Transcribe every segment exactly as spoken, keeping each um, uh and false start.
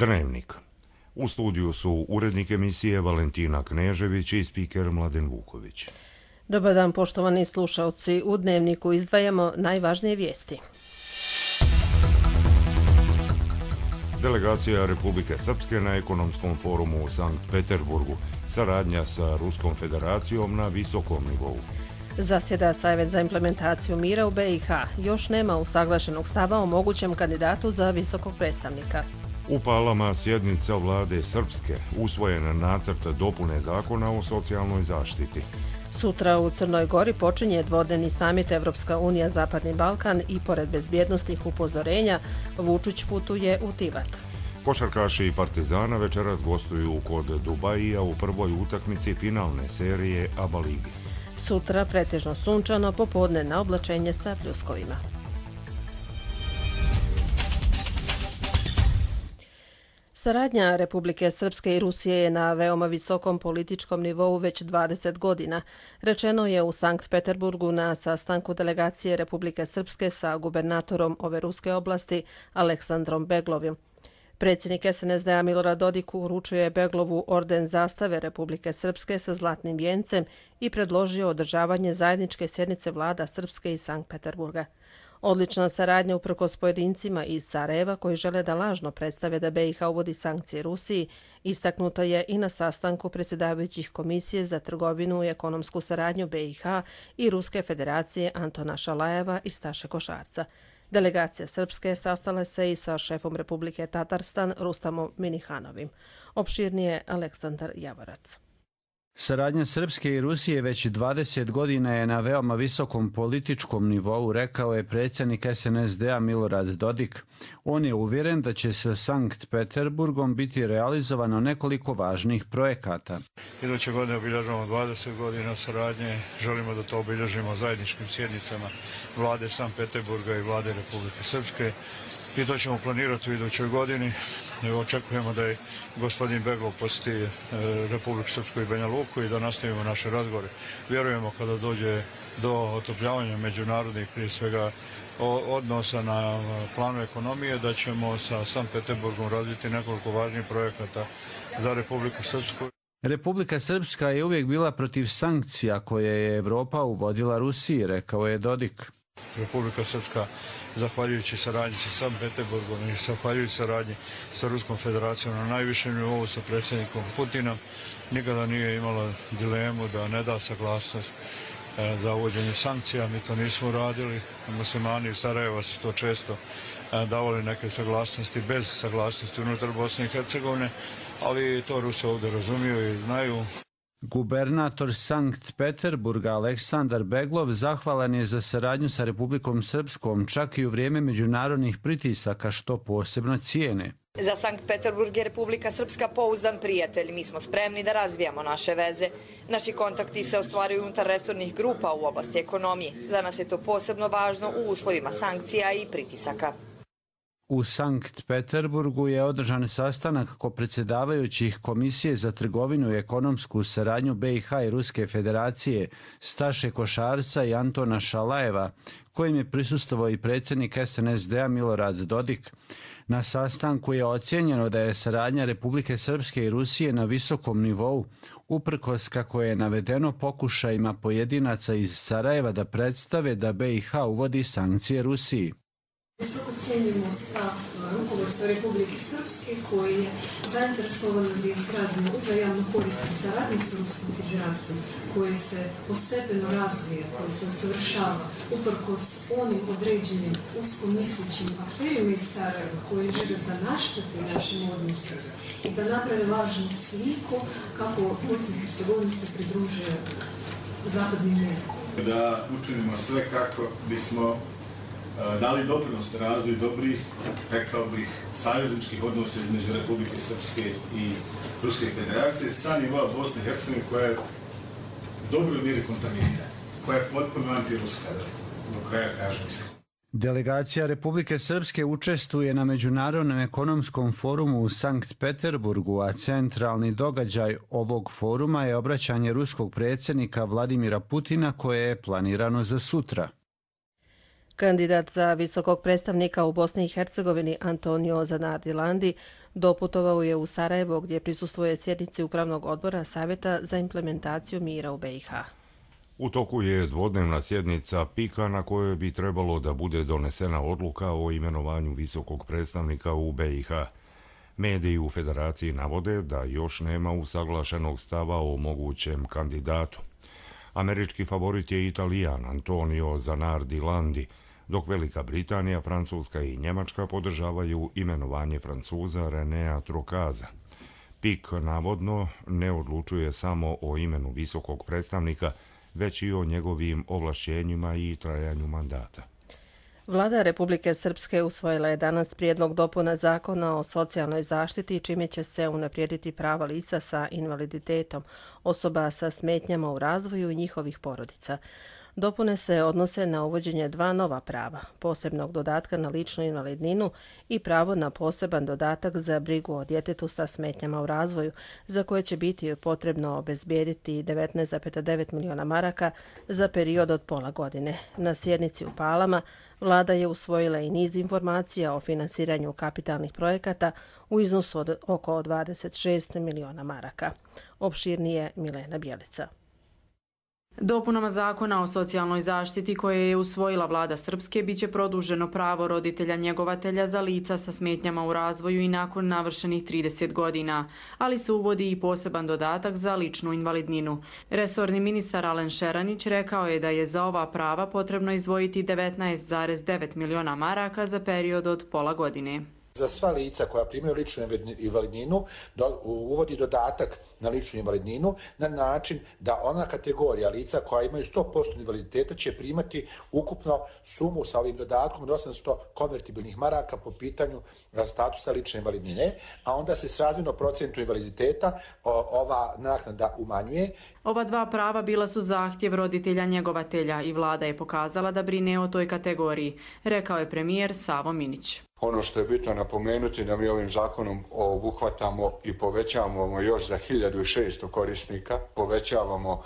Dnevnik. U studiju su urednik emisije Valentina Knežević i spiker Mladen Vuković. Dobar dan, poštovani slušalci. U Dnevniku izdvajamo najvažnije vijesti. Delegacija Republike Srpske na ekonomskom forumu u Sankt Peterburgu. Saradnja sa Ruskom federacijom na visokom nivou. Zasjeda Savjet za implementaciju mira u be i ha. Još nema usaglašenog stava o mogućem kandidatu za visokog predstavnika. U Palama sjednica vlade Srpske, usvojen nacrt dopune zakona o socijalnoj zaštiti. Sutra u Crnoj Gori počinje dvodnevni samit Evropska unija Zapadni Balkan i pored bezbjednostnih upozorenja Vučić putuje u Tivat. Košarkaši Partizana večeras gostuju kod Dubajija u prvoj utakmici finalne serije A B A ligi. Sutra pretežno sunčano, popodne na oblačenje sa pljuskovima. Saradnja Republike Srpske i Rusije je na veoma visokom političkom nivou već dvadeset godina. Rečeno je u Sankt Peterburgu na sastanku delegacije Republike Srpske sa gubernatorom ove ruske oblasti Aleksandrom Beglovim. Predsjednik es en es de a Milorad Dodik uručuje Beglovu orden zastave Republike Srpske sa zlatnim vijencem i predložio održavanje zajedničke sjednice vlada Srpske i Sankt Peterburga. Odlična saradnja uprkos pojedincima iz Sarajeva koji žele da lažno predstave da be i ha uvodi sankcije Rusiji, istaknuta je i na sastanku predsjedavajućih Komisije za trgovinu i ekonomsku saradnju be i ha i Ruske federacije Antona Šalajeva i Staše Košarca. Delegacija Srpske sastala se i sa šefom Republike Tatarstan Rustamom Minihanovim. Opširnije Aleksandar Javorac. Saradnja Srpske i Rusije već dvadeset godina je na veoma visokom političkom nivou, rekao je predsjednik es en es de a Milorad Dodik. On je uvjeren da će sa Sankt Peterburgom biti realizovano nekoliko važnih projekata. Iduće godine obilježavamo dvadeset godina saradnje. Želimo da to obilježimo zajedničkim sjednicama vlade Sankt Peterburga i vlade Republike Srpske. I to ćemo planirati u idućoj godini. Očekujemo da je gospodin Beglov posjeti Republiku Srpsku i Banja Luku i da nastavimo naše razgovore. Vjerujemo kada dođe do otopljavanja međunarodnih, prije svega odnosa na planu ekonomije, da ćemo sa Sankt Peterburgom razviti nekoliko važnih projekata za Republiku Srpsku. Republika Srpska je uvijek bila protiv sankcija koje je Evropa uvodila Rusiji, rekao je Dodik. Republika Srpska, zahvaljujući saradnji sa Sankt Peterburgom i zahvaljujući saradnji sa Ruskom federacijom na najvišem nivou sa predsjednikom Putinom, nikada nije imala dilemu da ne da saglasnost za uvođenje sankcija. Mi to nismo uradili. Muslimani iz Sarajeva su to često davali neke saglasnosti bez saglasnosti unutar Bosne i Hercegovine, ali to Rusi ovdje razumiju i znaju. Gubernator Sankt Peterburga Aleksandar Beglov zahvalan je za saradnju sa Republikom Srpskom čak i u vrijeme međunarodnih pritisaka, što posebno cijene. Za Sankt Peterburg je Republika Srpska pouzdan prijatelj. Mi smo spremni da razvijamo naše veze. Naši kontakti se ostvaruju unutar resornih grupa u oblasti ekonomije. Za nas je to posebno važno u uslovima sankcija i pritisaka. U Sankt Peterburgu je održan sastanak kopredsjedavajućih Komisije za trgovinu i ekonomsku saradnju be i ha i Ruske federacije Staše Košarca i Antona Šalajeva, kojim je prisustvovao i predsjednik es en es de a Milorad Dodik. Na sastanku je ocijenjeno da je saradnja Republike Srpske i Rusije na visokom nivou, uprkos kako je navedeno pokušajima pojedinaca iz Sarajeva da predstave da be i ha uvodi sankcije Rusiji. Visoko cijenimo stav rukovodstva Republike Srpske koji je zainteresovan za izgradnju uzajamno korisne saradnje s Ruskom federacijom, koje se postepeno razvija, koje se usavršava uprkos onim određenim uskomislećim akterima iz Sarajeva koji žele da naštete našim odnosima i da naprave važnu sliku kako Bosna i Hercegovina se pridružuje zapadnim zemljama. Da učinimo sve kako bismo dali doprinos razvoju dobrih, rekao bih, savezničkih odnosa između Republike Srpske i Ruske federacije sa nivoa Bosne i Hercegovine koja je u dobroj mjeri kontaminirana, koja je potpuno antiruska, do kraja kažem iskreno. Delegacija Republike Srpske učestvuje na Međunarodnom ekonomskom forumu u Sankt Peterburgu, a centralni događaj ovog foruma je obraćanje ruskog predsjednika Vladimira Putina koje je planirano za sutra. Kandidat za visokog predstavnika u Bosni i Hercegovini Antonio Zanardi Landi doputovao je u Sarajevo gdje prisustvuje sjednici Upravnog odbora Savjeta za implementaciju mira u B i H. U toku je dvodnevna sjednica P I K-a na kojoj bi trebalo da bude donesena odluka o imenovanju visokog predstavnika u B i H. Mediji u Federaciji navode da još nema usaglašenog stava o mogućem kandidatu. Američki favorit je Italijan Antonio Zanardi Landi, dok Velika Britanija, Francuska i Njemačka podržavaju imenovanje Francuza Renea Trocaza. P I K navodno ne odlučuje samo o imenu visokog predstavnika, već i o njegovim ovlašćenjima i trajanju mandata. Vlada Republike Srpske usvojila je danas prijedlog dopuna zakona o socijalnoj zaštiti, čime će se unaprijediti prava lica sa invaliditetom, osoba sa smetnjama u razvoju i njihovih porodica. Dopune se odnose na uvođenje dva nova prava, posebnog dodatka na ličnu invalidninu i pravo na poseban dodatak za brigu o djetetu sa smetnjama u razvoju, za koje će biti potrebno obezbijediti devetnaest zarez devet miliona maraka za period od pola godine. Na sjednici u Palama Vlada je usvojila i niz informacija o finansiranju kapitalnih projekata u iznosu od oko dvadeset šest miliona maraka. Opširnije Milena Bjelica. Dopunama zakona o socijalnoj zaštiti koje je usvojila vlada Srpske biće produženo pravo roditelja njegovatelja za lica sa smetnjama u razvoju i nakon navršenih trideset godina, ali se uvodi i poseban dodatak za ličnu invalidninu. Resorni ministar Alen Šeranić rekao je da je za ova prava potrebno izdvojiti devetnaest zarez devet miliona maraka za period od pola godine. Za sva lica koja primaju ličnu invalidninu uvodi dodatak na ličnu invalidninu na način da ona kategorija lica koja imaju sto posto invaliditeta će primati ukupno sumu sa ovim dodatkom od osamsto konvertibilnih maraka po pitanju statusa lične invalidnine, a onda se srazmjerno procentu invaliditeta ova naknada umanjuje. Ova dva prava bila su zahtjev roditelja njegovatelja i vlada je pokazala da brine o toj kategoriji, rekao je premijer Savo Minić. Ono što je bitno napomenuti da mi ovim zakonom obuhvatamo i povećavamo još za hiljadu šesto korisnika, povećavamo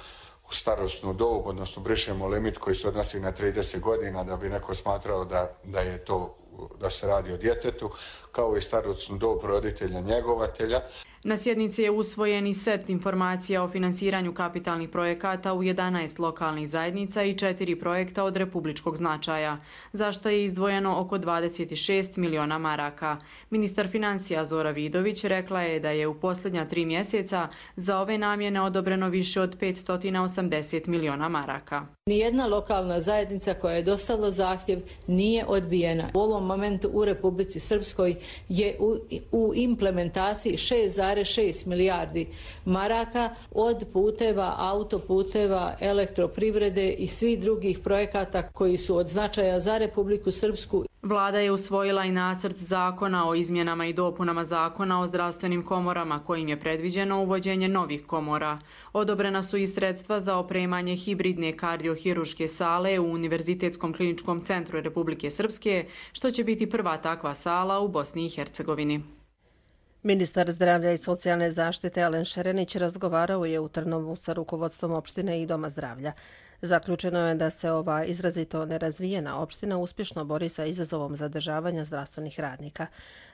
starosnu dob, odnosno brišemo limit koji se odnosi na trideset godina da bi neko smatrao da, da je to da se radi o djetetu, kao i starosnu dob roditelja njegovatelja. Na sjednici je usvojen i set informacija o finansiranju kapitalnih projekata u jedanaest lokalnih zajednica i četiri projekta od republičkog značaja, za što je izdvojeno oko dvadeset šest miliona maraka. Ministar financija Zora Vidović rekla je da je u posljednja tri mjeseca za ove namjene odobreno više od petsto osamdeset miliona maraka. Nijedna lokalna zajednica koja je dostavila zahtjev nije odbijena. U ovom momentu u Republici Srpskoj je u, u implementaciji šest zarez šest milijardi maraka od puteva, autoputeva, elektroprivrede i svih drugih projekata koji su od značaja za Republiku Srpsku. Vlada je usvojila i nacrt zakona o izmjenama i dopunama zakona o zdravstvenim komorama kojim je predviđeno uvođenje novih komora. Odobrena su i sredstva za opremanje hibridne kardiohiruške sale u Univerzitetskom kliničkom centru Republike Srpske, što će biti prva takva sala u Bosni i Hercegovini. Ministar zdravlja i socijalne zaštite Alen Šeranić razgovarao je u Trnovu sa rukovodstvom opštine i Doma zdravlja. Zaključeno je da se ova izrazito nerazvijena opština uspješno bori sa izazovom zadržavanja zdravstvenih radnika.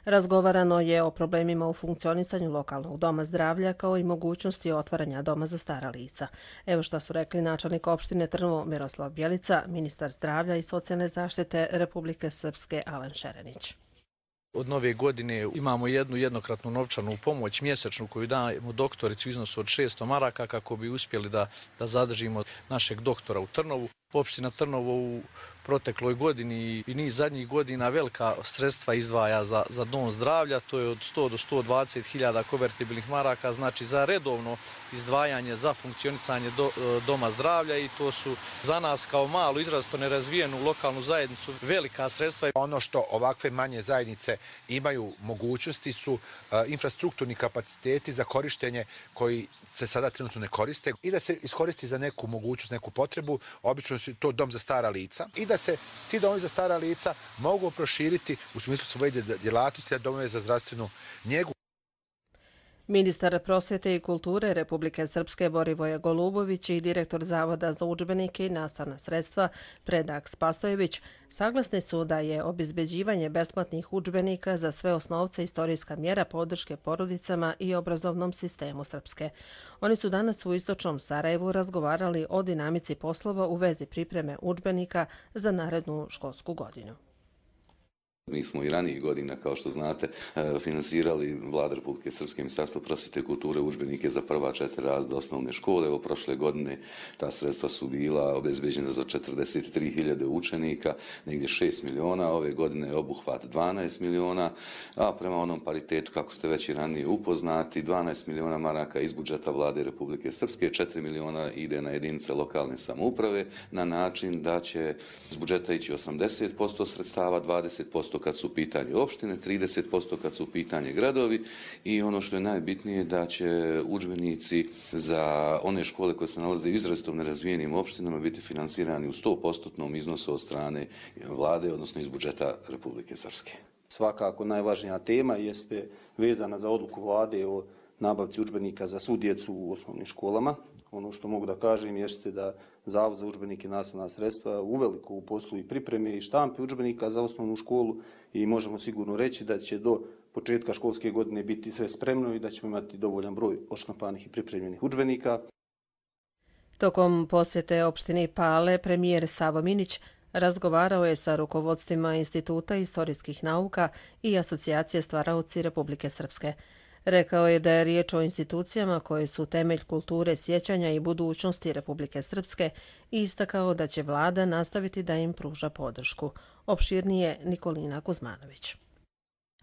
Razgovarano je o problemima u funkcionisanju lokalnog doma zdravlja kao i mogućnosti otvaranja doma za stara lica. Evo što su rekli načelnik opštine Trnovo Miroslav Bjelica, ministar zdravlja i socijalne zaštite Republike Srpske Alen Šeranić. Od nove godine imamo jednu jednokratnu novčanu pomoć mjesečnu koju dajemo doktorici u iznosu od šesto maraka kako bi uspjeli da, da zadržimo našeg doktora u Trnovu. Opština Trnovo u protekloj godini i niz zadnjih godina velika sredstva izdvaja za, za dom zdravlja, to je od sto do sto dvadeset hiljada konvertibilnih maraka, znači za redovno izdvajanje za funkcionisanje do, doma zdravlja i to su za nas kao malu, izrazito nerazvijenu lokalnu zajednicu velika sredstva. Ono što ovakve manje zajednice imaju mogućnosti su uh, infrastrukturni kapaciteti za korištenje koji se sada trenutno ne koriste i da se iskoristi za neku mogućnost, neku potrebu, obično su to dom za stara lica i da se ti domovi za stara lica mogu proširiti u smislu svoje djelatnosti, a domove za zdravstvenu njegu. Ministar prosvjete i kulture Republike Srpske Borivoje Golubović i direktor Zavoda za udžbenike i nastavna sredstva Predrag Spasojević saglasni su da je obezbeđivanje besplatnih udžbenika za sve osnovce istorijska mjera podrške porodicama i obrazovnom sistemu Srpske. Oni su danas u istočnom Sarajevu razgovarali o dinamici poslova u vezi pripreme udžbenika za narednu školsku godinu. Mi smo i ranijih godina, kao što znate, finansirali Vlada Republike Srpske, Ministarstvo prosvjete i kulture udžbenike za prva četiri razreda osnovne škole. Evo, prošle godine ta sredstva su bila obezbeđena za četrdeset tri hiljade učenika, negdje šest miliona, ove godine je obuhvat dvanaest miliona, a prema onom paritetu, kako ste već i ranije upoznati, dvanaest miliona maraka iz budžeta Vlade Republike Srpske, četiri miliona ide na jedinice lokalne samouprave, na način da će iz budžeta ići osamdeset posto sredstava, dvadeset posto kad su u pitanju opštine, trideset posto kad su u pitanju gradovi i ono što je najbitnije da će udžbenici za one škole koje se nalaze u izrazito nerazvijenim opštinama biti finansirani u sto posto iznosu od strane vlade, odnosno iz budžeta Republike Srpske. Svakako najvažnija tema jeste vezana za odluku vlade o nabavci udžbenika za svu djecu u osnovnim školama. Ono što mogu da kažem jeste da Zavod za udžbenike i nastavna sredstva uveliko u poslu i pripreme i štampe udžbenika za osnovnu školu i možemo sigurno reći da će do početka školske godine biti sve spremno i da ćemo imati dovoljan broj odštampanih i pripremljenih udžbenika. Tokom posjete opštini Pale, premijer Savo Minić razgovarao je sa rukovodstvima Instituta istorijskih nauka i Asocijacije stvaraoci Republike Srpske. Rekao je da je riječ o institucijama koje su temelj kulture sjećanja i budućnosti Republike Srpske i istakao da će vlada nastaviti da im pruža podršku. Opširnije Nikolina Kuzmanović.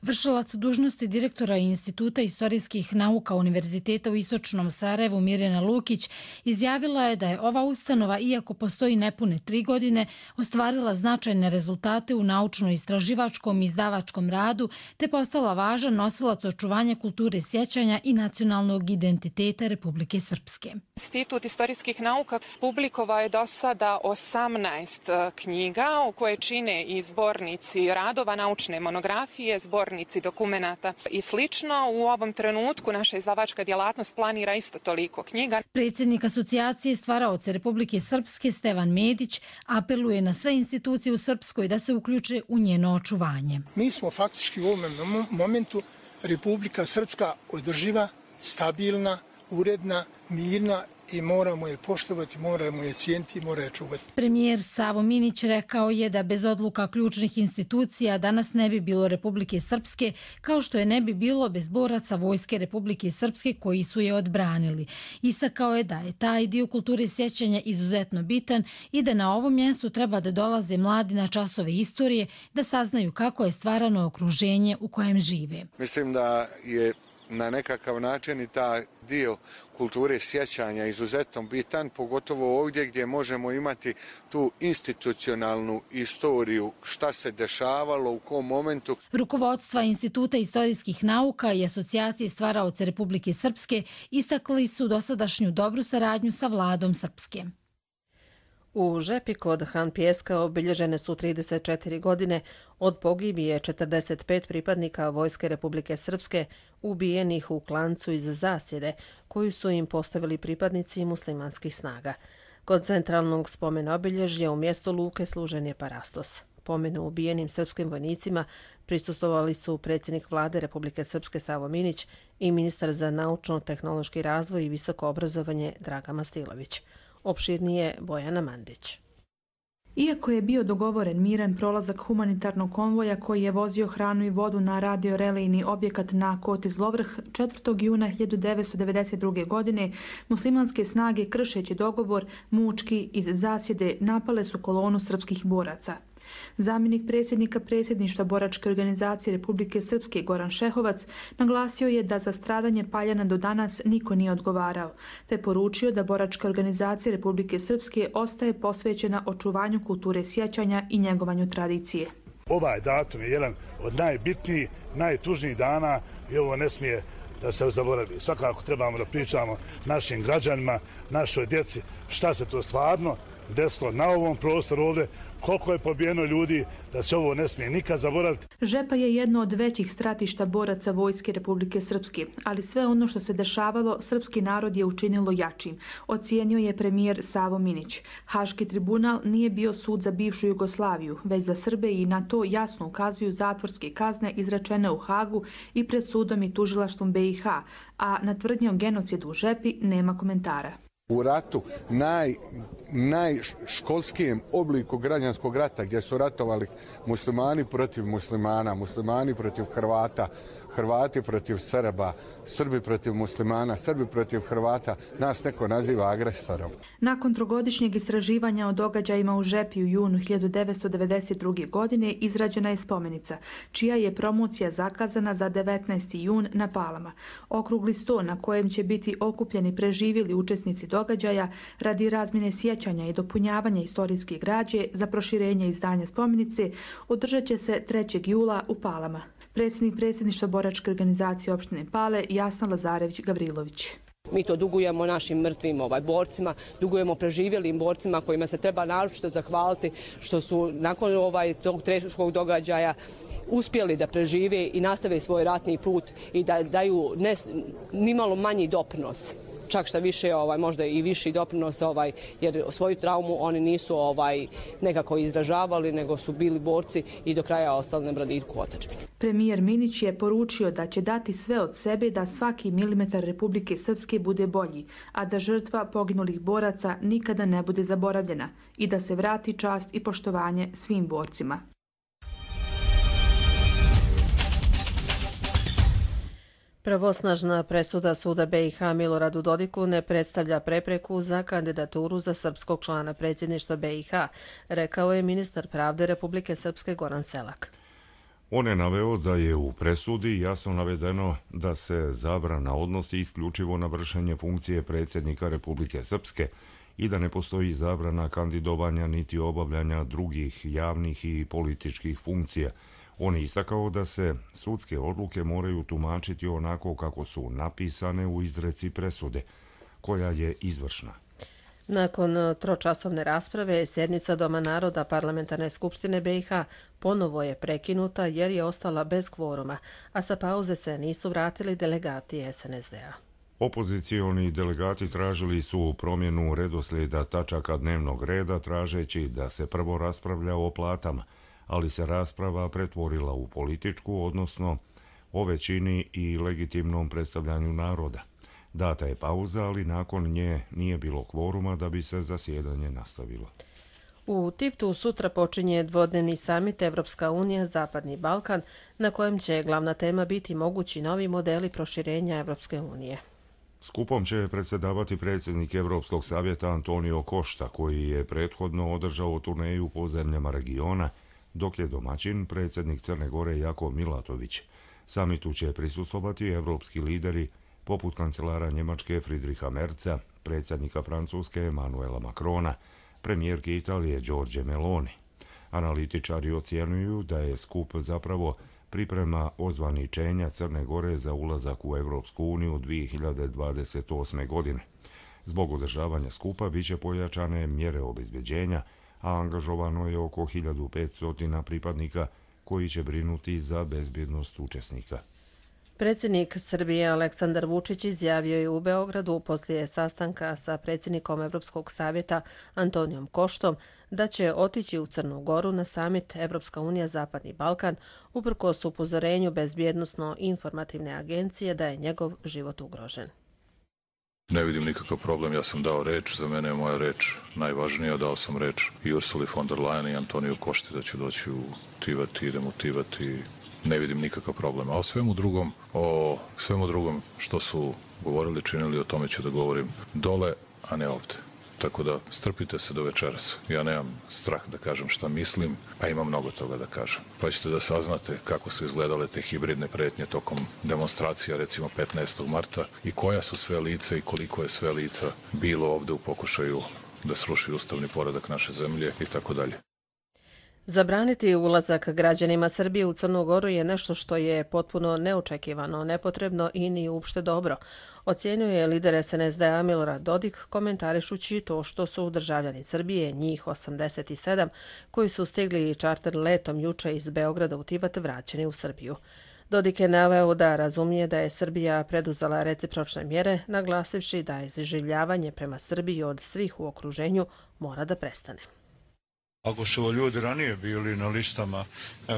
Vršilac dužnosti direktora Instituta istorijskih nauka Univerziteta u Istočnom Sarajevu Mirjana Lukić izjavila je da je ova ustanova, iako postoji nepune tri godine, ostvarila značajne rezultate u naučno-istraživačkom i izdavačkom radu te postala važan nosilac očuvanja kulture sjećanja i nacionalnog identiteta Republike Srpske. Institut istorijskih nauka publikovao je do sada osamnaest knjiga u koje čine i zbornici radova, naučne monografije, zbornici dokumenata i slično. U ovom trenutku naša izdavačka djelatnost planira isto toliko knjiga. Predsjednik Asocijacije stvaraoce Republike Srpske Stevan Medić apeluje na sve institucije u Srpskoj da se uključe u njeno očuvanje. Mi smo faktički u ovom momentu Republika Srpska održiva, stabilna, uredna, mirna i moramo je poštovati, moramo je cijeniti, moramo je čuvati. Premijer Savo Minić rekao je da bez odluka ključnih institucija danas ne bi bilo Republike Srpske, kao što je ne bi bilo bez boraca Vojske Republike Srpske koji su je odbranili. Istakao je da je taj dio kulture sjećanja izuzetno bitan i da na ovom mjestu treba da dolaze mladi na časove istorije, da saznaju kako je stvarano okruženje u kojem žive. Mislim da je na nekakav način i ta dio kulture sjećanja izuzetno bitan, pogotovo ovdje gdje možemo imati tu institucionalnu istoriju, šta se dešavalo, u kom momentu. Rukovodstva Instituta istorijskih nauka i Asocijacije stvaraoce Republike Srpske istakli su dosadašnju dobru saradnju sa vladom Srpske. U Žepi kod Han Pjeska obilježene su trideset četiri godine od pogibije četrdeset pet pripadnika Vojske Republike Srpske ubijenih u klancu iz zasjede koju su im postavili pripadnici muslimanskih snaga. Kod centralnog spomena obilježja u mjestu Luke služen je parastos. Pomenu ubijenim srpskim vojnicima prisustvovali su predsjednik Vlade Republike Srpske Savo Minić i ministar za naučno-tehnološki razvoj i visoko obrazovanje Draga Mastilović. Opširnije Bojana Mandić. Iako je bio dogovoren miran prolazak humanitarnog konvoja koji je vozio hranu i vodu na radiorelejni objekat na Koti Zlovrh, četvrtog juna hiljadu devetsto devedeset druge. godine muslimanske snage, kršeći dogovor, mučki iz zasjede napale su kolonu srpskih boraca. Zamjenik predsjednika predsjedništva boračke organizacije Republike Srpske Goran Šehovac naglasio je da za stradanje Paljana do danas niko nije odgovarao, te poručio da boračka organizacija Republike Srpske ostaje posvećena očuvanju kulture sjećanja i njegovanju tradicije. Ovaj datum je jedan od najbitnijih, najtužnijih dana i ovo ne smije da se zaboravi. Svakako trebamo da pričamo našim građanima, našoj djeci šta se to stvarno desilo na ovom prostoru ovdje, koliko je pobijeno ljudi, da se ovo ne smije nikad zaboraviti. Žepa je jedno od većih stratišta boraca Vojske Republike Srpske, ali sve ono što se dešavalo, srpski narod je učinilo jačim, ocijenio je premijer Savo Minić. Haški tribunal nije bio sud za bivšu Jugoslaviju, već za Srbe i na to jasno ukazuju zatvorske kazne izrečene u Hagu i pred sudom i tužilaštvom B i H, a na tvrdnje o genocidu u Žepi nema komentara. U ratu, naj, najškolskijem obliku građanskog rata gdje su ratovali muslimani protiv muslimana, muslimani protiv Hrvata, Hrvati protiv Srba, Srbi protiv muslimana, Srbi protiv Hrvata, nas neko naziva agresorom. Nakon trogodišnjeg istraživanja o događajima u Žepi u junu hiljadu devetsto devedeset druge. godine izrađena je spomenica, čija je promocija zakazana za devetnaesti jun na Palama. Okrugli sto na kojem će biti okupljeni preživjeli učesnici događaja radi razmjene sjećanja i dopunjavanja istorijske građe za proširenje izdanja spomenice održat će se trećeg jula u Palama. Predsjednik predsjedništva boračke organizacije opštine Pale Jasna Lazarević-Gavrilović. Mi to dugujemo našim mrtvim ovaj, borcima, dugujemo preživjelim borcima kojima se treba naročito zahvaliti što su nakon ovaj, tog teškog događaja uspjeli da prežive i nastave svoj ratni put i da daju ne, nimalo manji doprinos. Čak šta više, ovaj, možda i viši doprinos, ovaj, jer svoju traumu oni nisu ovaj, nekako izražavali, nego su bili borci i do kraja ostali na braditku otadžbine. Premijer Minić je poručio da će dati sve od sebe da svaki milimetar Republike Srpske bude bolji, a da žrtva poginulih boraca nikada ne bude zaboravljena i da se vrati čast i poštovanje svim borcima. Pravosnažna presuda suda B i H Miloradu Dodiku ne predstavlja prepreku za kandidaturu za srpskog člana predsjedništva B i H, rekao je ministar pravde Republike Srpske Goran Selak. On je naveo da je u presudi jasno navedeno da se zabrana odnosi isključivo na vršenje funkcije predsjednika Republike Srpske i da ne postoji zabrana kandidovanja niti obavljanja drugih javnih i političkih funkcija. On je istakao da se sudske odluke moraju tumačiti onako kako su napisane u izreci presude, koja je izvršna. Nakon tročasovne rasprave, sjednica Doma naroda Parlamentarne skupštine B i H ponovo je prekinuta jer je ostala bez kvoruma, a sa pauze se nisu vratili delegati S N S D-a. Opozicioni delegati tražili su promjenu redoslijeda tačaka dnevnog reda, tražeći da se prvo raspravlja o platama, ali se rasprava pretvorila u političku, odnosno o većini i legitimnom predstavljanju naroda. Data je pauza, ali nakon nje nije bilo kvoruma da bi se zasjedanje nastavilo. U Tivtu sutra počinje dvodnevni samit Evropska unija Zapadni Balkan, na kojem će glavna tema biti mogući novi modeli proširenja Evropske unije. Skupom će predsjedavati predsjednik Evropskog savjeta Antonio Costa, koji je prethodno održao turneju po zemljama regiona, dok je domaćin predsjednik Crne Gore Jakov Milatović. Samitu će prisustvovati evropski lideri poput kancelara Njemačke Friedricha Merza, predsjednika Francuske Emmanuela Macrona, premijerke Italije Giorgia Meloni. Analitičari ocjenjuju da je skup zapravo priprema ozvaničenja Crne Gore za ulazak u Evropsku uniju dvije hiljade dvadeset osme. godine. Zbog održavanja skupa biće pojačane mjere obezbeđenja, a angažovano je oko hiljadu petsto pripadnika koji će brinuti za bezbjednost učesnika. Predsjednik Srbije Aleksandar Vučić izjavio je u Beogradu poslije sastanka sa predsjednikom Evropskog savjeta Antonijom Koštom da će otići u Crnu Goru na samit Evropska unija Zapadni Balkan uprkos upozorenju bezbjednosno-informativne agencije da je njegov život ugrožen. Ne vidim nikakav problem, ja sam dao reč, za mene je moja reč najvažnija, dao sam reč i Ursuli von der Leyen i Antoniju Košti da ću doći u Tivat i idem u Tivat i ne vidim nikakav problem. A o svemu drugom, o svemu drugom što su govorili, činili, o tome ću da govorim dole, a ne ovde. Tako da strpite se do večeras. Ja nemam strah da kažem šta mislim, a imam mnogo toga da kažem. Pa ćete da saznate kako su izgledale te hibridne pretnje tokom demonstracija, recimo petnaestog marta, i koja su sve lica i koliko je sve lica bilo ovde u pokušaju da sruši ustavni poredak naše zemlje i tako dalje. Zabraniti ulazak građanima Srbije u Crnu Goru je nešto što je potpuno neočekivano, nepotrebno i ni uopšte dobro, ocijenio je lider es en es de-a Milorad Dodik komentarišući to što su državljani Srbije, njih osamdeset sedam, koji su stigli čarter letom juče iz Beograda u Tivat, vraćeni u Srbiju. Dodik je naveo da razumije da je Srbija preduzela recipročne mjere, naglasivši da iživljavanje prema Srbiji od svih u okruženju mora da prestane. Ako su ljudi ranije bili na listama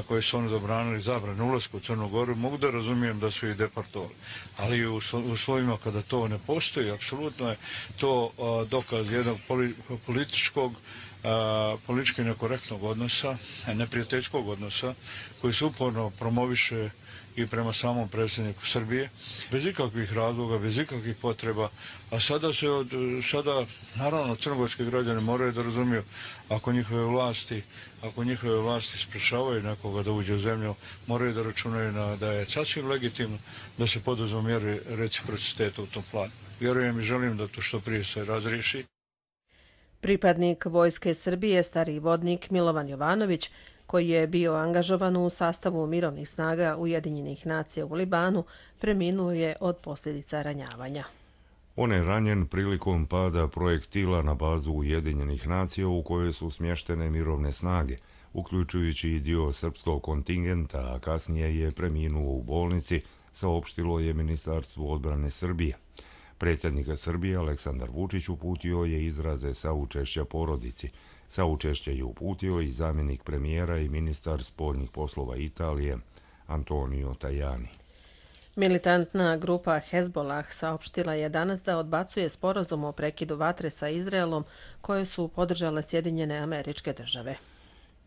koje su oni zabranili zabranu ulazku u Crnu Goru, mogu da razumijem da su ih deportovali. Ali u uslovima kada to ne postoji, apsolutno je to dokaz jednog političkog, politički nekorektnog odnosa, neprijateljskog odnosa, koji se uporno promoviše i prema samom predsjedniku Srbije, bez ikakvih razloga, bez ikakvih potreba, a sada se od, sada, naravno, crnogorski građani moraju da razumiju, ako njihove vlasti, ako njihove vlasti sprečavaju nekoga da uđe u zemlju, moraju da računaju na, da je sasvim legitimno da se poduzmu mjere reciprociteta u tom planu. Vjerujem i želim da to što prije se razriješi. Pripadnik Vojske Srbije, stariji vodnik Milovan Jovanović, koji je bio angažovan u sastavu mirovnih snaga Ujedinjenih nacija u Libanu, preminuo je od posljedica ranjavanja. On je ranjen prilikom pada projektila na bazu Ujedinjenih nacija u kojoj su smještene mirovne snage, uključujući i dio srpskog kontingenta, a kasnije je preminuo u bolnici, saopštilo je Ministarstvo odbrane Srbije. Predsjednik Srbije Aleksandar Vučić uputio je izraze saučešća porodici. Saučešće je uputio i zamjenik premijera i ministar spoljnih poslova Italije Antonio Tajani. Militantna grupa Hezbollah saopštila je danas da odbacuje sporazum o prekidu vatre sa Izraelom koje su podržale Sjedinjene Američke Države.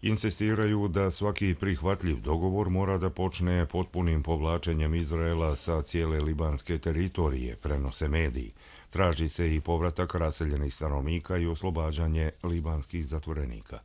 Insistiraju da svaki prihvatljiv dogovor mora da počne potpunim povlačenjem Izraela sa cijele libanske teritorije, prenose mediji. Traži se i povratak raseljenih stanovnika i oslobađanje libanskih zatvorenika.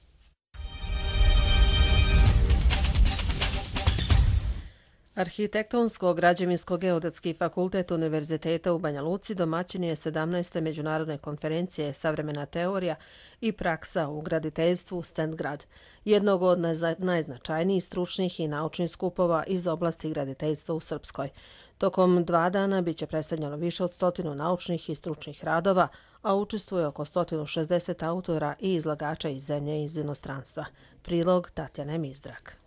Arhitektonsko-građevinsko-geodetski fakultet Univerziteta u Banja Luci domaćin je sedamnaeste međunarodne konferencije Savremena teorija i praksa u graditeljstvu Stendgrad, jednog od najznačajnijih stručnih i naučnih skupova iz oblasti graditeljstva u Srpskoj. Tokom dva dana biće predstavljeno više od stotinu naučnih i stručnih radova, a učestvuje oko sto šezdeset autora i izlagača iz zemlje i iz inostranstva. Prilog Tatjane Mizdrak.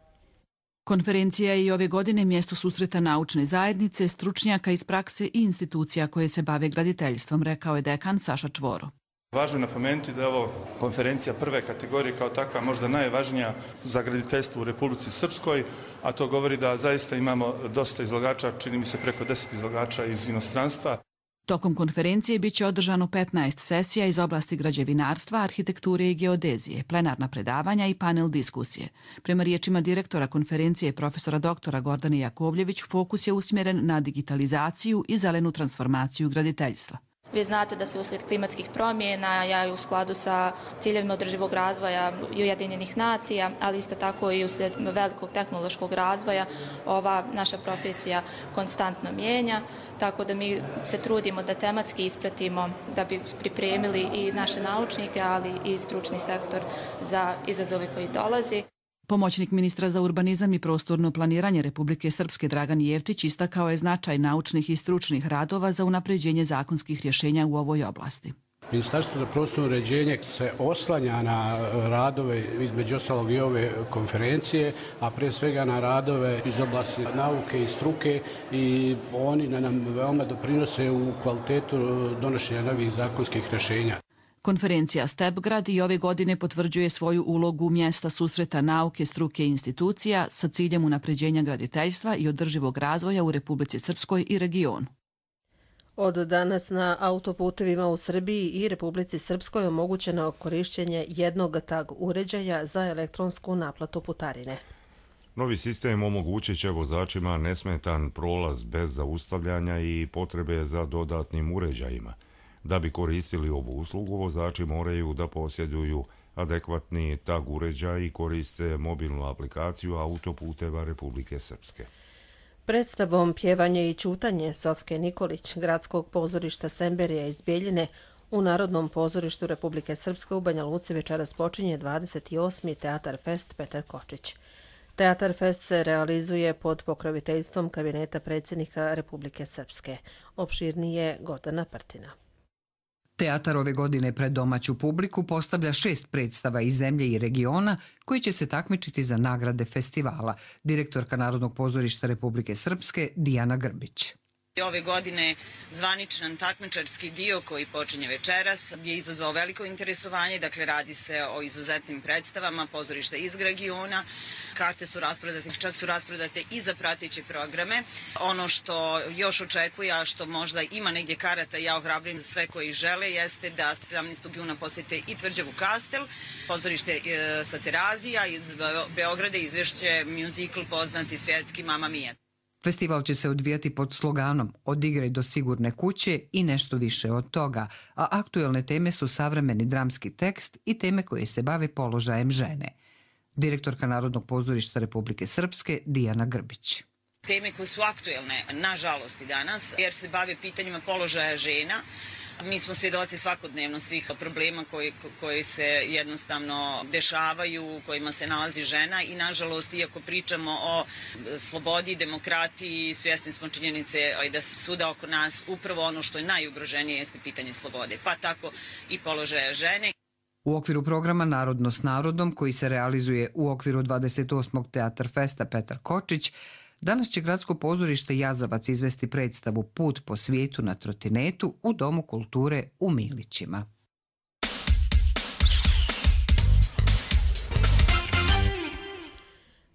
Konferencija je i ove godine mjesto susreta naučne zajednice, stručnjaka iz prakse i institucija koje se bave graditeljstvom, rekao je dekan Saša Čvoro. Važno je napomenuti da je ovo konferencija prve kategorije, kao takva možda najvažnija za graditeljstvo u Republici Srpskoj, a to govori da zaista imamo dosta izlagača, čini mi se preko deset izlagača iz inostranstva. Tokom konferencije biće održano petnaest sesija iz oblasti građevinarstva, arhitekture i geodezije, plenarna predavanja i panel diskusije. Prema riječima direktora konferencije profesora doktora Gordane Jakovljević, fokus je usmjeren na digitalizaciju i zelenu transformaciju graditeljstva. Vi znate da se uslijed klimatskih promjena, ja i u skladu sa ciljevima održivog razvoja Ujedinjenih nacija, ali isto tako i uslijed velikog tehnološkog razvoja, ova naša profesija konstantno mijenja, tako da mi se trudimo da tematski ispratimo, da bi pripremili i naše naučnike, ali i stručni sektor za izazove koji dolazi. Pomoćnik ministra za urbanizam i prostorno planiranje Republike Srpske Dragan Jevtić istakao je značaj naučnih i stručnih radova za unapređenje zakonskih rješenja u ovoj oblasti. Ministarstvo za prostorno uređenje se oslanja na radove, između ostalog i ove konferencije, a prije svega na radove iz oblasti nauke i struke, i oni nam veoma doprinose u kvalitetu donošenja novih zakonskih rješenja. Konferencija Stepgrad i ove godine potvrđuje svoju ulogu mjesta susreta nauke, struke i institucija sa ciljem unapređenja graditeljstva i održivog razvoja u Republici Srpskoj i regionu. Od danas na autoputevima u Srbiji i Republici Srpskoj omogućeno korišćenje jednog tag uređaja za elektronsku naplatu putarine. Novi sistem omogućit će vozačima nesmetan prolaz bez zaustavljanja i potrebe za dodatnim uređajima. Da bi koristili ovu uslugu, vozači moraju da posjeduju adekvatni tag uređaj i koriste mobilnu aplikaciju autoputeva Republike Srpske. Predstavom Pjevanje i ćutanje Sofke Nikolić, gradskog pozorišta Semberija iz Bjeljine, U Narodnom pozorištu Republike Srpske u Banja Luci večeras počinje dvadeset osmi Teatar Fest Petar Kočić. Teatar Fest se realizuje pod pokroviteljstvom kabineta predsjednika Republike Srpske. Opširnije Gordana Prtina. Teatar ove godine pred domaću publiku postavlja šest predstava iz zemlje i regiona koji će se takmičiti za nagrade festivala. Direktorka Narodnog pozorišta Republike Srpske Dijana Grbić. Ove godine zvaničan takmičarski dio koji počinje večeras je izazvao veliko interesovanje, dakle radi se o izuzetnim predstavama pozorišta iz regiona. Karte su rasprodate, čak su rasprodate i za prateće programe. Ono što još očekuje, a što možda ima negdje karata, ja ohrabrim za sve koji žele, jeste da sedamnaestog juna posjete i Tvrđavu Kastel, pozorište sa Terazija iz Beograda izvešće muzikl poznati svjetski Mamma Mia. Festival će se odvijati pod sloganom Od igre do sigurne kuće i nešto više od toga, a aktuelne teme su savremeni dramski tekst i teme koje se bave položajem žene. Direktorka Narodnog pozorišta Republike Srpske Dijana Grbić. Teme koje su aktuelne, nažalost i danas, jer se bave pitanjima položaja žena. Mi smo svjedoci svakodnevno svih problema koji, koji se jednostavno dešavaju, u kojima se nalazi žena i nažalost, iako pričamo o slobodi, demokratiji, svjesni smo činjenice da svuda oko nas upravo ono što je najugroženije jeste pitanje slobode, pa tako i položaja žene. U okviru programa Narodno s narodom, koji se realizuje u okviru dvadeset osmog Teatar Festa Petar Kočić, danas će Gradsko pozorište Jazavac izvesti predstavu Put po svijetu na trotinetu u Domu kulture u Milićima.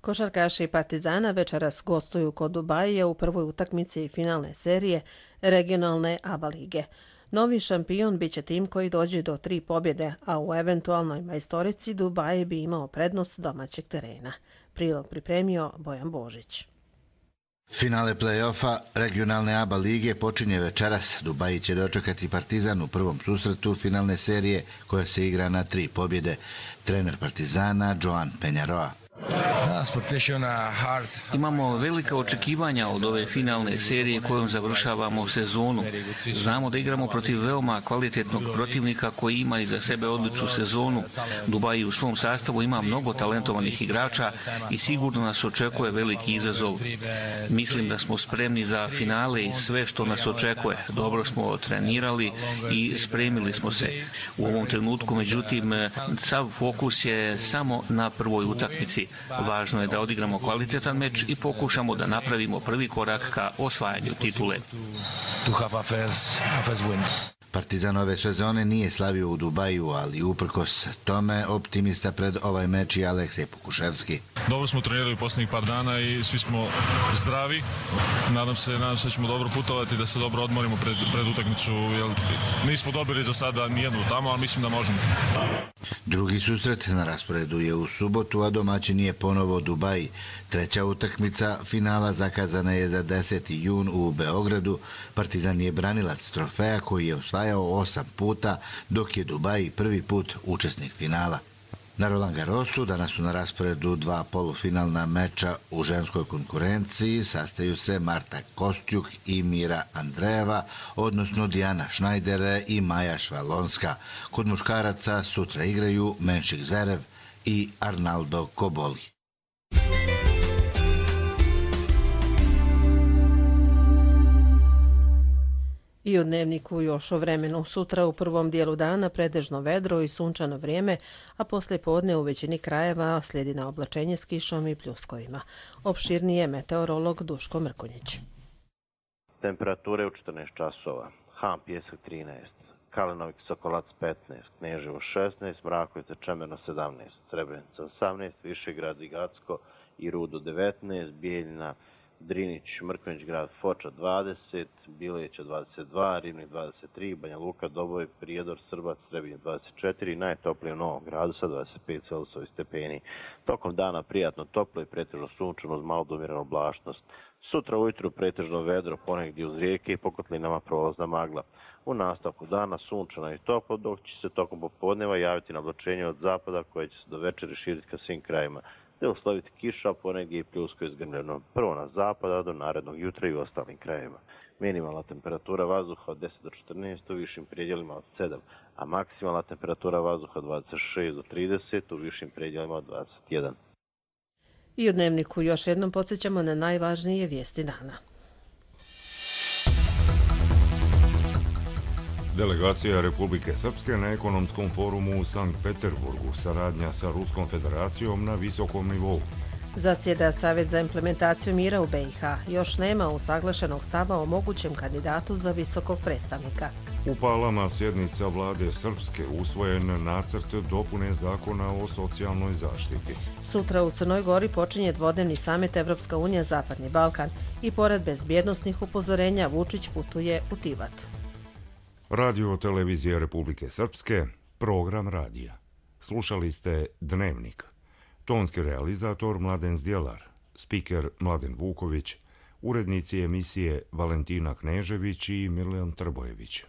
Košarkaši Partizana večeras gostuju kod Dubajija u prvoj utakmici finalne serije regionalne ABA lige. Novi šampion biće tim koji dođe do tri pobjede, a u eventualnoj majstorici Dubaj bi imao prednost domaćeg terena. Prilog pripremio Bojan Božić. Finale play-offa regionalne ABA lige počinje večeras. Dubaji će dočekati Partizan u prvom susretu finalne serije koja se igra na tri pobjede. Trener Partizana Joan Penjaroa. Imamo velika očekivanja od ove finalne serije kojom završavamo sezonu. Znamo da igramo protiv veoma kvalitetnog protivnika koji ima iza sebe odličnu sezonu. Dubai u svom sastavu ima mnogo talentovanih igrača i sigurno nas očekuje veliki izazov. Mislim da smo spremni za finale i sve što nas očekuje. Dobro smo trenirali i spremili smo se. U ovom trenutku, međutim, sav fokus je samo na prvoj utakmici. Važno je da odigramo kvalitetan meč i pokušamo da napravimo prvi korak ka osvajanju titule. Partizan ove sezone nije slavio u Dubaju, ali uprkos tome optimista pred ovaj meč i Aleksej Pokuševski. Dobro smo trenirali u posljednjih par dana i svi smo zdravi. Nadam se, nadam se da ćemo dobro putovati, da se dobro odmorimo pred, pred utakmicu. Jer nismo dobili za sada nijednu tamo, ali mislim da možemo. Drugi susret na rasporedu je u subotu, a domaćin je ponovo Dubai. Treća utakmica finala zakazana je za deseti jun u Beogradu. Partizan je branilac trofeja koji je osvajao osam puta, dok je Dubai prvi put učesnik finala. Na Roland Garrosu danas su na rasporedu dva polufinalna meča u ženskoj konkurenciji. Sastaju se Marta Kostjuk i Mira Andrejeva, odnosno Dijana Šnajdere i Maja Švalonska. Kod muškaraca sutra igraju Menšik Zerev i Arnaldo Koboli. I u dnevniku još o vremenu. Sutra u prvom dijelu dana pretežno vedro i sunčano vrijeme, a poslije podne u većini krajeva slijedi na oblačenje s kišom i pljuskovima. Opširnije meteorolog Duško Mrkonjić. Temperature u četrnaest časova. Ham Pjesak trinaest, Kalenovik Sokolac petnaest, Kneževo šesnaest, Mrakovica Čemerno sedamnaest, Srebrenica osamnaest, Višegrad i Gacko i Rudo devetnaest, Bijeljina, Drinić, Mrkonjić grad, Foča dvadeset, Bileća dvadeset dva, Rivnik dvadeset tri, Banja Luka, Doboj, Prijedor, Srbac, Trebinje dvadeset četiri, najtoplije u Novom Gradu sa dvadeset pet Celzijusovih stepeni. Tokom dana prijatno toplo i pretežno sunčano uz malo do umjerenu oblačnost. Sutra ujutru pretežno vedro, ponegdje uz rijeke i po kotlinama prolazna magla. U nastavku dana sunčano i toplo, dok će se tokom popodneva javiti na oblačenje od zapada koje će se do večeri širiti ka svim krajima, te usloviti kiša, ponegdje i pljusko izgrmljeno, prvo na zapada do narednog jutra i u ostalim krajevima. Minimalna temperatura vazduha od deset do četrnaest, u višim predjelima od sedam, a maksimalna temperatura vazduha od dvadeset šest do trideset, u višim predjelima od dvadeset jedan. I u Dnevniku još jednom podsjećamo na najvažnije vijesti dana. Delegacija Republike Srpske na ekonomskom forumu u Sankt Peterburgu, saradnja sa Ruskom federacijom na visokom nivou. Zasjeda Savjet za implementaciju mira u B i H. Još nema usaglašenog stava o mogućem kandidatu za visokog predstavnika. U Palama sjednica vlade Srpske, usvojen nacrt dopune zakona o socijalnoj zaštiti. Sutra u Crnoj Gori počinje dvodnevni samit Evropska unija Zapadni Balkan i pored bezbjednosnih upozorenja Vučić putuje u Tivat. Radio televizija Republike Srpske, program radija. Slušali ste Dnevnik. Tonski realizator Mladen Zdjelar, spiker Mladen Vuković, urednici emisije Valentina Knežević i Milan Trbojević.